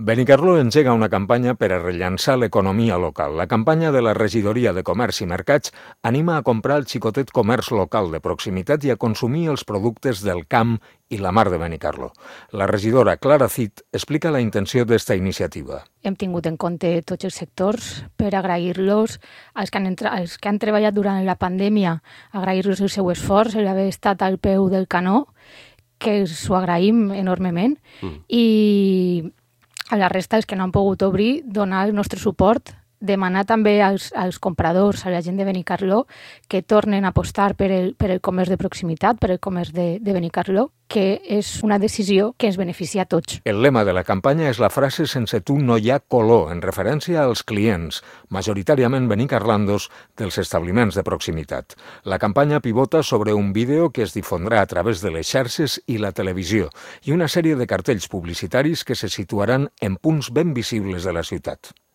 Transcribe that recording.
Benicarló engega una campanya per a rellançar l'economia local. La campanya de la Regidoria de Comerç i Mercats anima a comprar el xicotet comerç local de proximitat i a consumir els productes del camp i la mar de Benicarló. La regidora Clara Cid explica la intenció d'esta iniciativa. Hem tingut en compte tots els sectors per agrair-los als que han treballat durant la pandèmia, agrair-los el seu esforç, l'haver estat al peu del canó, que us ho agraïm enormement, i a la resta, els que no han pogut obrir, donar el nostre suport, demanar també als compradors, a la gent de Benicarló, que tornen a apostar per el comerç de proximitat, per el comerç de Benicarló, que és una decisió que ens beneficia a tots. El lema de la campanya és la frase «Sense tu no hi ha color», en referència als clients, majoritàriament benicarlandos, dels establiments de proximitat. La campanya pivota sobre un vídeo que es difondrà a través de les xarxes i la televisió i una sèrie de cartells publicitaris que se situaran en punts ben visibles de la ciutat.